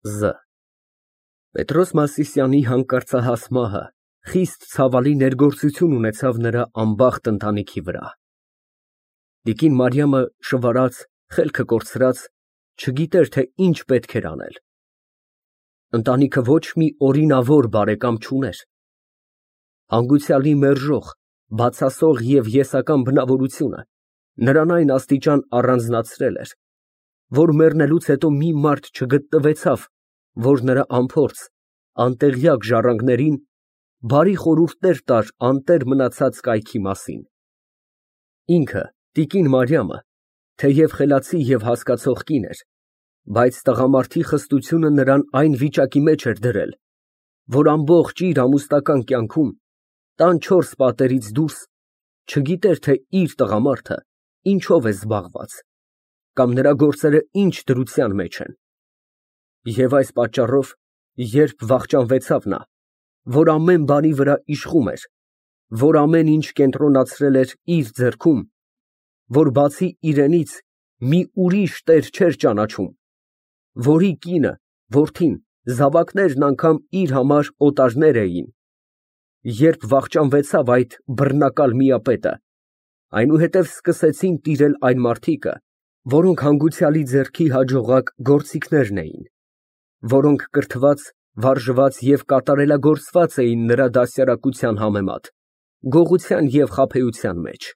Զ Պետրոս Մասիսյանի հանկարծահաս մահը խիստ ցավալի ներգործություն ունեցավ նրա անբախտ ընտանիքի վրա։ Տիկին Մարիամը շվարած, խելքը կորցրած, չգիտեր, թե ինչ պետք էր անել։ Ընտանիքը ոչ մի օրինավոր բարեկամ չուներ։ Հանգուցյալի մերժող, բացասող և եսական բնավորությունը նրան այն աստիճան առանձնացրել էր, որ մեռնելուց հետո մի մարդ չգտնվեցավ, որ նրա անփորձ, անտեղյակ ժառանգներին բարի խորհուրդներ տար անտեր մնացած կայքի մասին։ Ինքը, տիկին Մարիամը, թեև խելացի և հասկացող կին էր, բայց տղամարդի խստությունը նրան այն վիճակի մեջ էր դրել, որ ամբողջ իր ամուսնական կյանքում, տան չորս պատերից դուրս, չգիտեր, թե իր տղամարդը ինչով է զբաղված, կամ նրա գործերը ինչ դրության մեջ են։ Եվ այս պատճառով, երբ վախճանվեցավ նա, որ ամեն բանի վրա իշխում էր, որ ամեն ինչ կենտրոնացրել էր իր ձեռքում, որ բացի իրենից մի ուրիշ տեր չէր ճանաչում, որի կինը, որդին, զավակներն անգամ իր համար օտարներ էին, երբ վախճանվեցավ այդ բռնակալ միապետը, այնուհետև սկսեցին տիրել այն մարդիկը, որոնք հանգուցյալի ձեռքի հաջողակ գործիքներն էին, որոնք կրթված, վարժված և կատարելագործված էին նրա դաստիարակության համեմատ, գողության և խաբեության մեջ։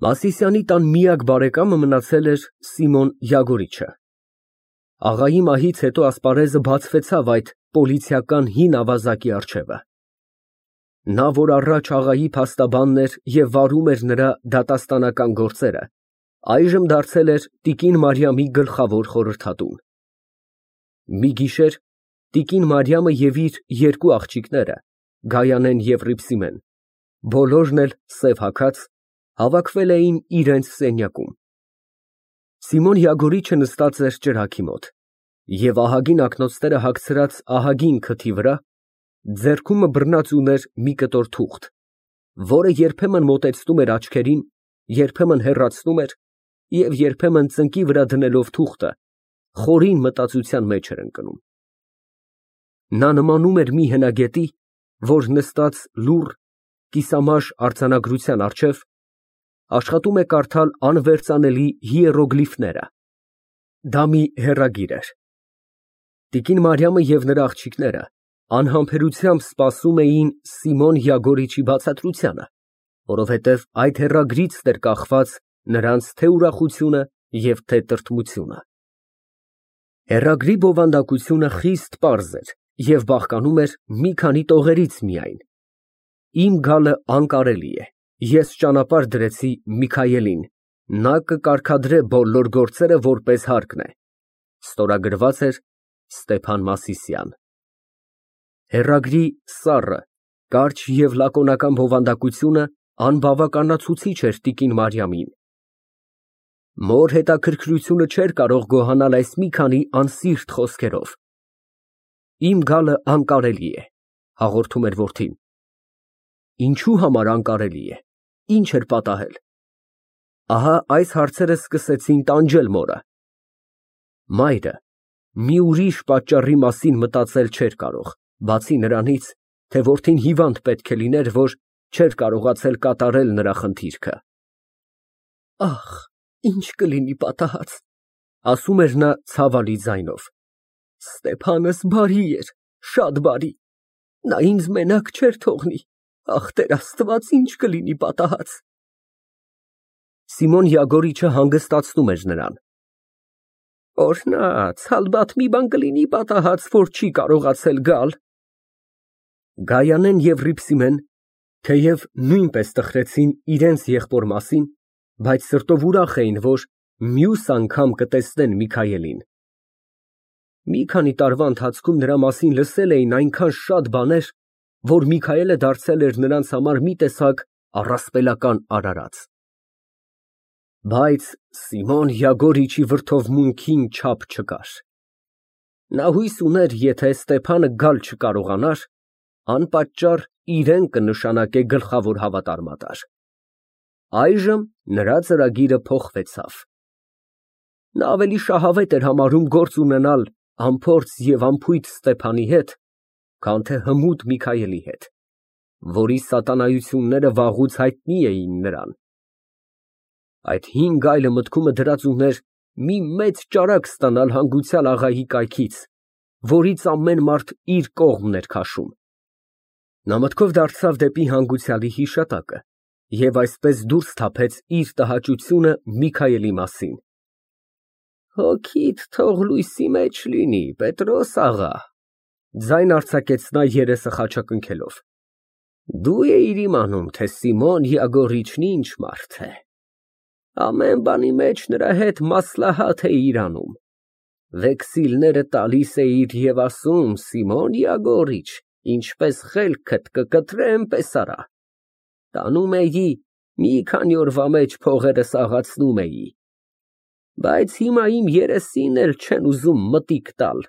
Մասիսյանի տան միակ բարեկամը մնացել էր Սիմոն Յագորիչը։ Աղայի մահից հետո ասպարեզը բացվեցավ այդ պոլիցիական հին ավազակի առջևը։ Նա, որ առաջ աղայի փաստաբանն էր և վարում էր նրա դատաստանական գործերը, այժմ դարձել էր տիկին Մարիամի գլխավոր խորհրդատուն։ Մի գիշեր տիկին Մարիամը և իր երկու աղջիկները՝ Գայանեն և Հռիփսիմեն, բոլորն էլ սև հագած, հավաքվել էին իրենց սենյակում։ Սիմոն Յագորիչը նստած էր ճրագի մոտ և ահագին ակնոցները հագցրած ահագին քթի վրա ձեռքում բռնած ուներ մի կտոր թուղթ, որը երբեմն մոտեցնում էր աչքերին, երբեմն հեռացնում էր և երբեմն ծնկի վրա դնելով թուղթը, խորին մտածության մեջ էր ընկնում։ Նա նմանում էր մի հնագետի, որ նստած լուռ, կիսամաշ արձանագրության առջև, աշխատում է կարդալ անվերծանելի հիերոգլիֆները։ Դա մի հեռագիր էր։ Տիկին Մարիամը և նրա աղջիկները անհամբերությամբ սպասում էին Սիմոն Յագորիչի բացատրությանը, որովհետև այդ հեռագրից էր կախված նրանց թե ուրախությունը և թե տրտմությունը։ Հեռագրի բովանդակությունը խիստ պարզ էր և բաղկանում էր մի քանի տողերից միայն։ Իմ գալը անկարելի է, ես ճանապարհ դրեցի Միքայելին, նա կկարգադրե բոլոր գործերը որպես հարկն է։ Ստորագրված էր Ստեփան Մասիսյան։ Հեռագրի սառը, կարճ և լակոնական բովանդակությունը անբավականացուցիչ էր տիկին Մարիամին։ Մոր հետաքրքրությունը չէր կարող գոհանալ այս մի քանի անսիրտ խոսքերով։ Իմ գալը անկարելի է, հաղորդում էր որդին։ Ինչու համար անկարելի է, ինչ էր պատահել։ Ահա այս հարցերը սկսեցին տանջել մորը։ Մայրը մի ուրիշ պատճառի մասին մտածել չէր կարող, բացի նրանից, թե որդին հիվանդ պետք է լիներ, որ չէր կարողացել կատարել նրա խնդիրքը։ Ախ, ինչ կլինի պատահած, ասում էր նա ցավալի ձայնով։ Ստեփանս բարի էր, շատ բարի, նա ինձ մենակ չէր թողնի, ախ, Տեր Աստված, ինչ կլինի պատահած։ Սիմոն Յագորիչը հանգստացնում էր նրան։ Օրհնած, ալբաթ մի բան կլինի պատահած, որ չի կարողացել գալ։ Գայանեն և Հռիփսիմեն, թեև նույնպես տխրեցին իրենց եղբոր մասին, բայց սրտով ուրախ էին, որ մյուս անգամ կտեսնեն Միքայելին։ Մի քանի տարվա ընթացքում նրա մասին լսել էին այնքան շատ բաներ, որ Միքայելը դարձել էր նրանց համար մի տեսակ առասպելական արարած։ Բայց Սիմոն Յագորիչի վրդովմունքին չափ չկար։ Նա հույս ուներ, եթե Ստեփանը գալ չկարողանար, անպատճառ իրեն կնշանակե գլխավոր հավատարմատար։ Այժմ նրա ծրագիրը փոխվեցավ։ Նա ավելի շահավետ էր համարում գործ ունենալ անփորձ և անփույթ Ստեփանի հետ, քան թե հմուտ Միքայելի հետ, որի սատանայությունները վաղուց հայտնի էին նրան։ Այդ հին գայլը մտքումը դրած ուներ մի մեծ ճարակ ստանալ հանգուցյալ աղայի կայքից, որից ամեն մարդ իր կողմն էր քաշում։ Նա մտքով դարձավ դեպի հանգուցյալի հիշատակը և այսպես դուրս թափեց իր տհաճությունը Միքայելի մասին։ Հոգիդ թող լույսի մեջ լինի, Պետրոս աղա, ձայն արձակեց նա երեսը խաչակնքելով։ Դու էիր իմանում, թե Սիմոն Յագոռիչն ինչ մարդ է։ Ամեն բանի մեջ նրա հետ մասլահաթ էիր անում։ Վեքսիլները տալիս էիր և ասում. Սիմոն Յագոռիչ, ինչպես խելքդ կկտրեմ, պես արա։ Տանում էի, մի քանի օրվա մեջ փողերը սաղացնում էի։ Բայց հիմա իմ երեսին էլ չեն ուզում մտիկ տալ։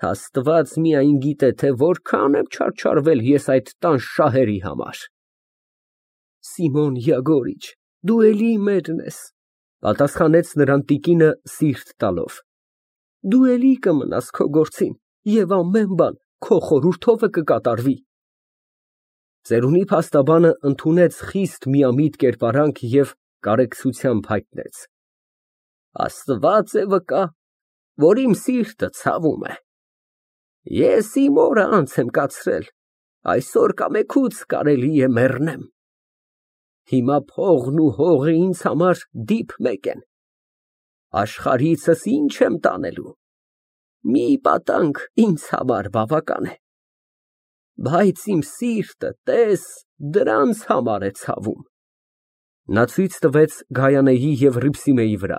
Աստված միայն գիտե, թե որքան եմ չարչարվել ես այդ տան շահերի համար։ Սիմոն Յագոռիչ, դու էլի մերն ես, պատասխանեց նրան տիկինը սիրտ տալով։ Դու էլի կմնաս քո գործին և ամեն բան քո խորհուրդով է կկատարվի։ Ծերունի փաստաբանը ընդունեց խիստ միամիտ կերպարանք և կարեկցությամբ հայտնեց. Աստված է վկա, որ իմ սիրտը ցավում է։ Ես իմ օրը անց եմ կացրել, այսօր կամեքուց կարելի է մեռնեմ։ Հիմա փողն ու հողը ինձ համար դիփ մեկ են։ Աշխարհիցս ինչ եմ տանելու։ Մի պատանք ինձ համար բավական է։ Բայց իմ սիրտը, տես, դրանց համար է ցավում։ Նա ցույց տվեց Գայանեի և Հռիփսիմեի վրա։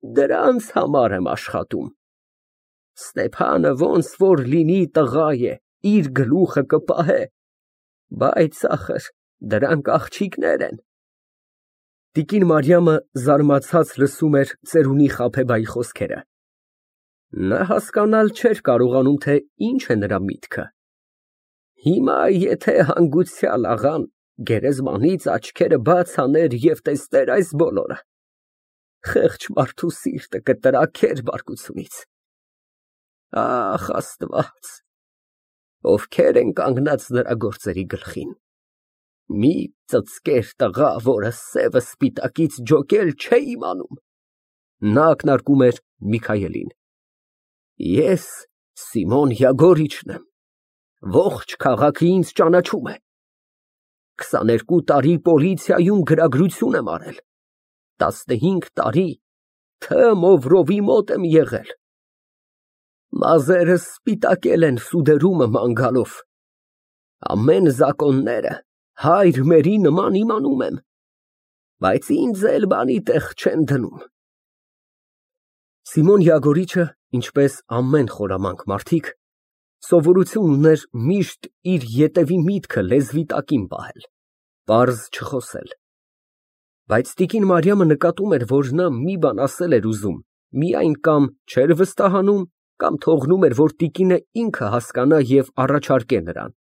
Դրանց համար եմ աշխատում։ Ստեփանը ոնց որ լինի տղա է, իր գլուխը կպահե, բայց ախր դրանք աղջիկներ են։ Տիկին Մարիամը զարմացած լսում էր ծերունի Խաբեբայի խոսքերը։ Նա հասկանալ չէր կարողանում, թե ինչ է նրա միտքը։ Հիմա եթե հանգուցյալ աղան գերեզմանից աչքերը բաց աներ և տեսներ այս բոլորը, խեղճ մարդու սիրտը կտրաքեր բարկությունից։ Ախ, Աստված, ովքեր են կանգնած նրա գործերի գլխին։ Մի ծծկեր տղա, որը սևը սպիտակից ջոկել չէ իմանում։ Նա ակնարկում էր Միքայելին։ Ես Սիմոն Յագոռիչն եմ։ Ողջ քաղաքը ինձ ճանաչում է։ 22 տարի պոլիցիայում գրագրություն եմ արել։ 15 տարի Թ. Մովրովի մոտ եմ եղել։ Մազերս սպիտակել են սուդերումը ման գալով։ Ամեն զակոնները հայր մերի նման իմանում եմ, բայց ինձ էլ բանի տեղ չեն դնում։ Սիմոն Յագոռիչը, ինչպես ամեն խորամանկ մարդիկ, սովորություն ուներ միշտ իր ետևի միտքը լեզվի տակին պահել, պարզ չխոսել։ Բայց տիկին Մարիամը նկատում էր, որ նա մի բան ասել էր ուզում, միայն կամ չէր վստահանում, կամ թողնում էր, որ տիկինը ինքը հասկանա և առաջարկե նրան։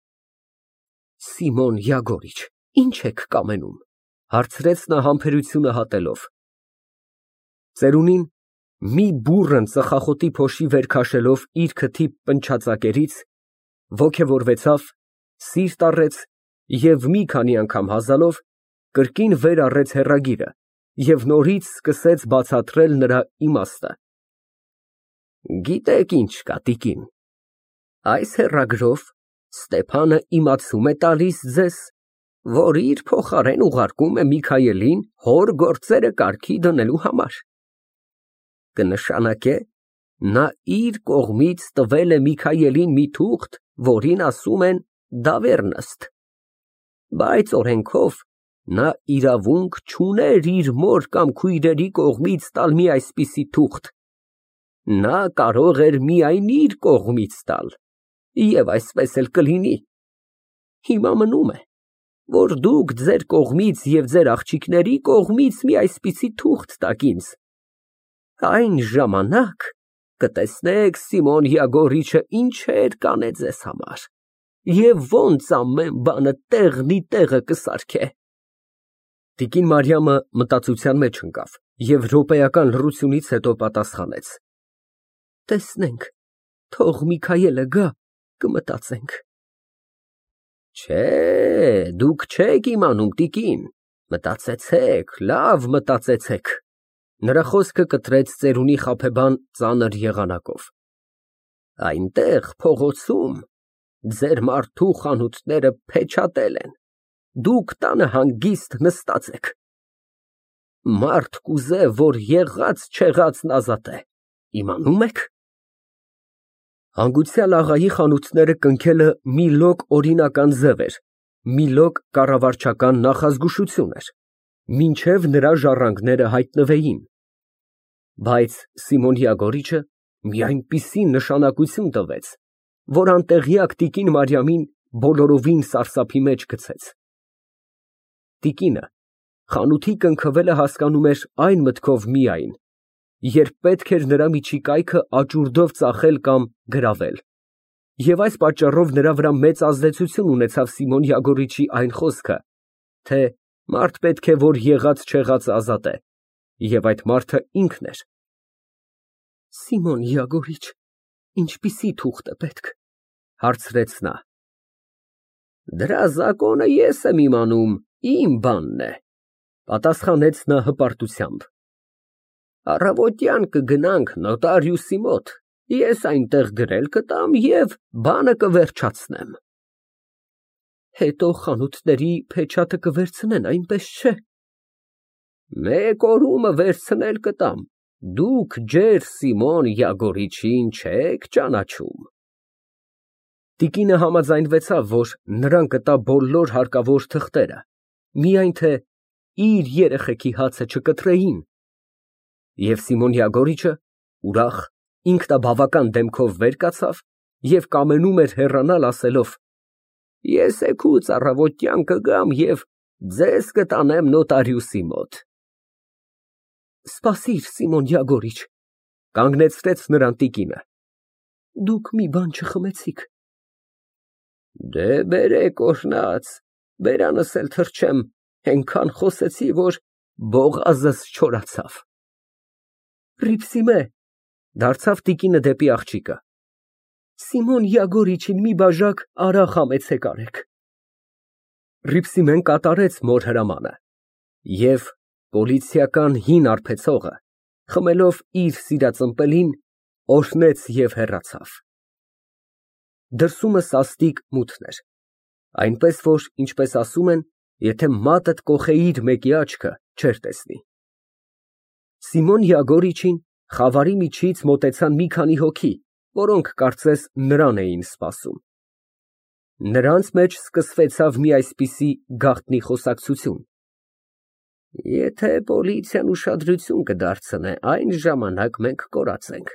Սիմոն Յագոռիչ, ի՞նչ եք կամենում, հարցրեց նա համբերությունը հատելով։ Ծերունին, մի բուռն ծխախոտի փոշի վեր քաշելով իր քթի պնչացակերից, ոգևորվեցավ, սիրտ առեց և մի քանի անգամ հազալով կրկին վեր առեց հեռագիրը և նորից սկսեց բացատրել նրա իմաստը։ Գիտեք ինչ կա, տիկին, այս հեռագրով Ստեփանը իմացում է տալիս ձեզ, որ իր փոխարեն ուղարկում է Միքայելին հոր գործերը կարգի դնելու համար։ Կնշանակե, նա իր կողմից տվել է Միքայելին մի թուղթ, որին ասում են դավեռնըստ, բայց օրենքով նա իրավունք չուներ իր մոր կամ քույրերի կողմից տալ մի այսպիսի թուղթ։ Նա կարող էր միայն իր կողմից տալ, և այսպես էլ կլինի։ Հիմա մնում է, որ դուք ձեր կողմից և ձեր աղջիկների կողմից մի այսպիսի թուղթ տաք ինձ։ Այն ժամանակ կտեսնեք Սիմոն Յագոռիչը ինչեր կանե ձեզ համար և ոնց ամեն բանը տեղնի տեղը կսարքե։ Տիկին Մարիամը մտածության մեջ ընկավ և րոպեական լռությունից հետո պատասխանեց։ Տեսնենք, թող Միքայելը գա, կմտածենք։ Չէ, դուք չեք իմանում, տիկին, մտածեցեք, լավ մտածեցեք։ Նրա խոսքը կտրեց ծերունի խաբեբան ծանր եղանակով։ Այնտեղ փողոցում ձեր մարդու խանութները փեչատել են, դուք տանը հանգիստ նստած եք։ Մարդ կուզե, որ եղած չեղածն ազատե, իմանում եք։ Հանգուցյալ աղայի խանութները կնքելը մի լոկ օրինական ձև էր, մի լոկ կառավարչական նախազգուշություն էր, մինչև նրա ժառանգները հայտնվեին։ Բայց Սիմոն Յագորիչը մի այնպիսի նշանակություն տվեց, որ անտեղյակ տիկին Մարիամին բոլորովին սարսափի մեջ գցեց։ Տիկինը խանութի կնքվելը հասկանում էր այն մտքով միայն, երբ պետք էր նրա միջիկայքը աճուրդով ծախել կամ գրավել, և այս պատճառով նրա վրա մեծ ազդեցություն ունեցավ Սիմոն Յագորիչի այն խոսքը, թե մարդ պետք է, որ եղած չեղածը ազատե, և այդ մարդը ինքն էր։ Սիմոն Յագորիչ, ինչպիսի թուղթ է պետք, հարցրեց նա։ Դրա զակոնը ես եմ իմանում, իմ բանն է, պատասխանեց նա հպարտությամբ։ Առավոտյան կգնանք նոտարիուսի մոտ, ես այնտեղ գրել կտամ և բանը կվերջացնեմ։ Հետո խանութների փեչատը կվերցնեն, այնպես չէ։ Մեկ օրումը վերցնել կտամ, դուք ջեր Սիմոն Յագորիչին չեք ճանաչում։ Տիկինը համաձայնվեցավ, որ նրան կտա բոլոր հարկավոր թղթերը, միայն թե իր երեխեքի հացը չկտրեին։ Եվ Սիմոն Յագորիչը ուրախ, ինքնաբավական դեմքով վեր կացավ և կամենում էր հեռանալ, ասելով. Ես էգուց առավոտյան կգամ և ձեզ կտանեմ նոտարիուսի մոտ։ Սպասիր, Սիմոն Յագորիչ, կանգնեցրեց նրան տիկինը, դուք մի բան չխմեցիք։ Դե բերեք օրհնած, բերանս էլ թռչեմ, այնքան խոսեցի, որ բողազս չորացավ։ Ռիփսիմե, դարձավ տիկինը դեպի աղջիկը, Սիմոն Յագորիչին մի բաժակ արախ համեցեք արեք։ Ռիփսիմեն կատարեց մոր հրամանը և պոլիցիական հին արբեցողը, խմելով իր սիրած ըմպելին, օրհնեց և հեռացավ։ Դրսումը սաստիկ մութն էր, այնպես որ, ինչպես ասում են, եթե մատդ կոխեիր մեկի աչքը, չէր տեսնի։ Սիմոն Յագորիչին խավարի միջից մոտեցան մի քանի հոգի, որոնք կարծես նրան էին սպասում։ Նրանց մեջ սկսվեցավ մի այսպիսի գաղտնի խոսակցություն. Եթե պոլիցիան ուշադրություն կդարձնե, այն ժամանակ մենք կորած ենք։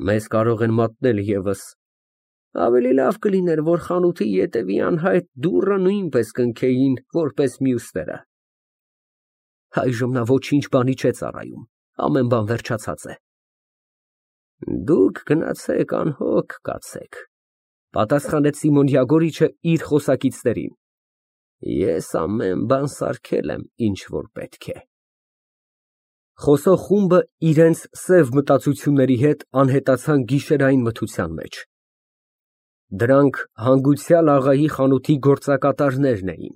Մեզ կարող են մատնել ևս։ Ավելի լավ կլիներ, որ խանութի ետևի անհայտ դուռը նույնպես կնքեին, որպես մյուսները։ Այժմ նա ոչինչ բանի չէ ծառայում, ամեն բան վերջացած է։ Դուք գնացեք անհոգ կացեք, պատասխանեց Սիմոն Յագորիչը իր խոսակիցներին։ Ես ամեն բան սարքել եմ, ինչ որ պետք է։ Խոսող խումբը իրենց սև մտածությունների հետ անհետացան գիշերային մթության մեջ։ Դրանք հանգուցյալ աղայի խանութի գործակատարներն էին։